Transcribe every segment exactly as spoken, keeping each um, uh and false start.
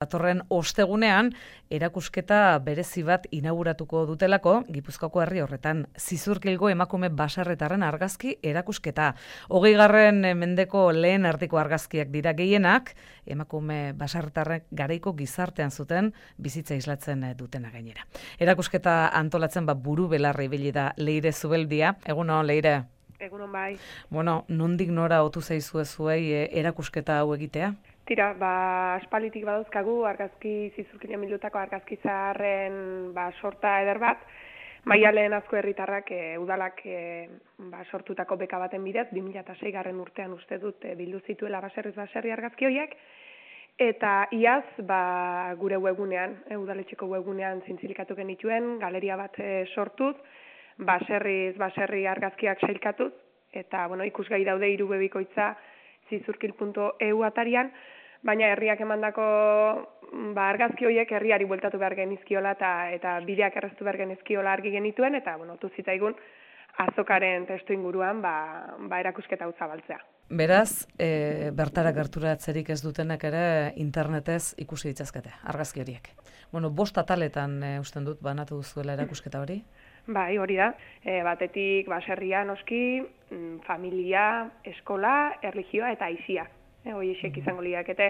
Datorren ostegunean, erakusketa berezi bat inauguratuko dutelako, Gipuzkoako herri horretan, Zizurkilgo emakume baserritarren argazki erakusketa. Hogeigarren mendeko lehen erdiko argazkiak dira gehienak, emakume baserritarrek garaiko gizartean zuten bizitza islatzen dutena gainera. Erakusketa antolatzen bat buru belarra ibili da Leire Zubeldia. Egunon, Leire. Egunon bai. Bueno, nondik nora otu zaizue zuei eh, erakusketa hau egitea? Tira, ba, aspalitik badauzkagu argazki Zizurkila mildutako argazki zaharren ba, sorta eder bat, Maialen Azko herritarrak e, udalak e, ba, sortutako beka baten bidez, bi mila seigarren urtean uste dut e, bildu zituela baserriz baserri argazki horiek, eta iaz ba, gure webgunean, e, udaletxeko webgunean zintzilikatu genituen, galeria bat e, sortuz, baserriz baserri argazkiak sailkatuz, eta bueno, ikusgai daude hiru bebikoitza zizurkil puntu e u atarian, baina herriak emandako ba, argazki horiek herriari bueltatu behar genizkiola eta, eta bideak erraztu behar genizkiola argi genituen, eta bueno, tu zitzaigun azokaren testu inguruan ba, ba erakusketa hau zabaltzea. Beraz, e, bertara gerturatzerik ez dutenak ere internetez ikusi ditzazkete, argazki horiek. Bueno, bost ataletan e, usten dut banatu duzuela erakusketa hori? Bai, hori da. E, batetik baserria noski, familia, eskola, erlijioa eta aizia. E, Hoiexek izango liakete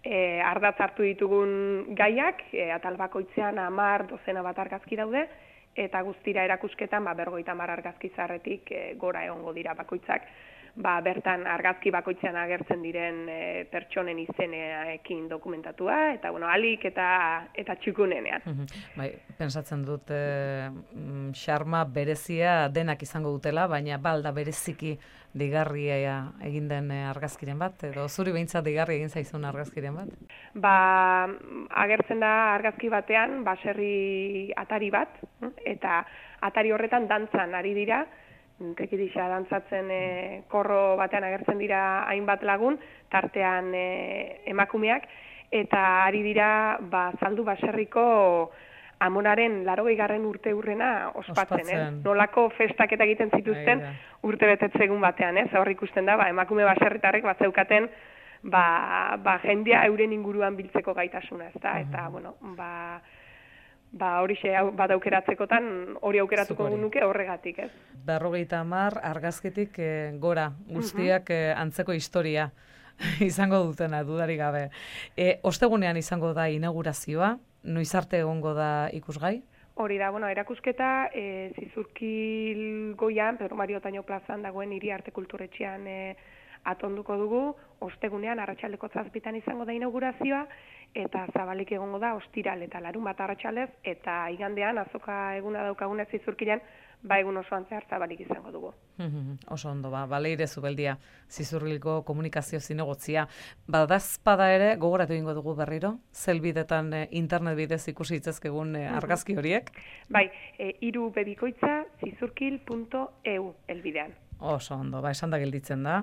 e, ardatz hartu ditugun gaiak, e, atal bakoitzean hamar dozena bat argazki daude, eta guztira erakusketan ba, berrogeita hamar argazki zarretik e, gora egongo dira bakoitzak. Ba, bertan argazki bakoitzean agertzen diren e, pertsonen izeneekin dokumentatua, eta bueno, alik eta eta txukunenean. Bai, pensatzen dut xarma berezia denak izango dutela, baina balda bereziki digarria egin den argazkiren bat, edo zuri behintzat digarri egin zaizun argazkiren bat? Ba, agertzen da argazki batean baserri atari bat, eta atari horretan dantzan ari dira, tekitisa dantzatzen e, korro batean agertzen dira hainbat lagun, tartean e, emakumeak, eta ari dira ba, zaldu baserriko amonaren larogeigarren urte urrena ospatzen, eh? Nolako festak eta egiten zituzten urte betetzegun batean, eh? Hor ikusten da, ba, emakume baserritarrek bat zeukaten ba, ba, jendea euren inguruan biltzeko gaitasuna, ezta? Eta, bueno, ba, ba hori xe bat aukeratzekotan hori aukeratuko nuke horregatik, ez? Berrogeita hamar argazkitik e, gora, guztiak e, antzeko historia izango dutena, dudarik gabe. E, ostegunean izango da inaugurazioa, noiz arte egongo da ikusgai? Hori da, bueno, erakusketa e, Zizurkil goian, Pedro Mario Otaño plazan dagoen hiri arte kulturetxean e, atonduko dugu, ostegunean arratsaldeko zazpitan izango da inaugurazioa, eta zabalik egongo da ostiral eta larun bat arratsalez, eta igandean azoka eguna daukagunez Zizurkilan, ba egun osoan zehar zabalik izango dugu. Oso ondo, ba, Leire Zubeldia, Zizurkilgo komunikazio zinegotzia. Badazpada ere, gogoratu egingo dugu berriro, zelbidetan e, internet bidez ikusi itzazkegun e, argazki horiek? Bai, e, hiru bebikoitza zizurkil puntu e u elbidean. Oso ondo, ba, esan da gelditzen da.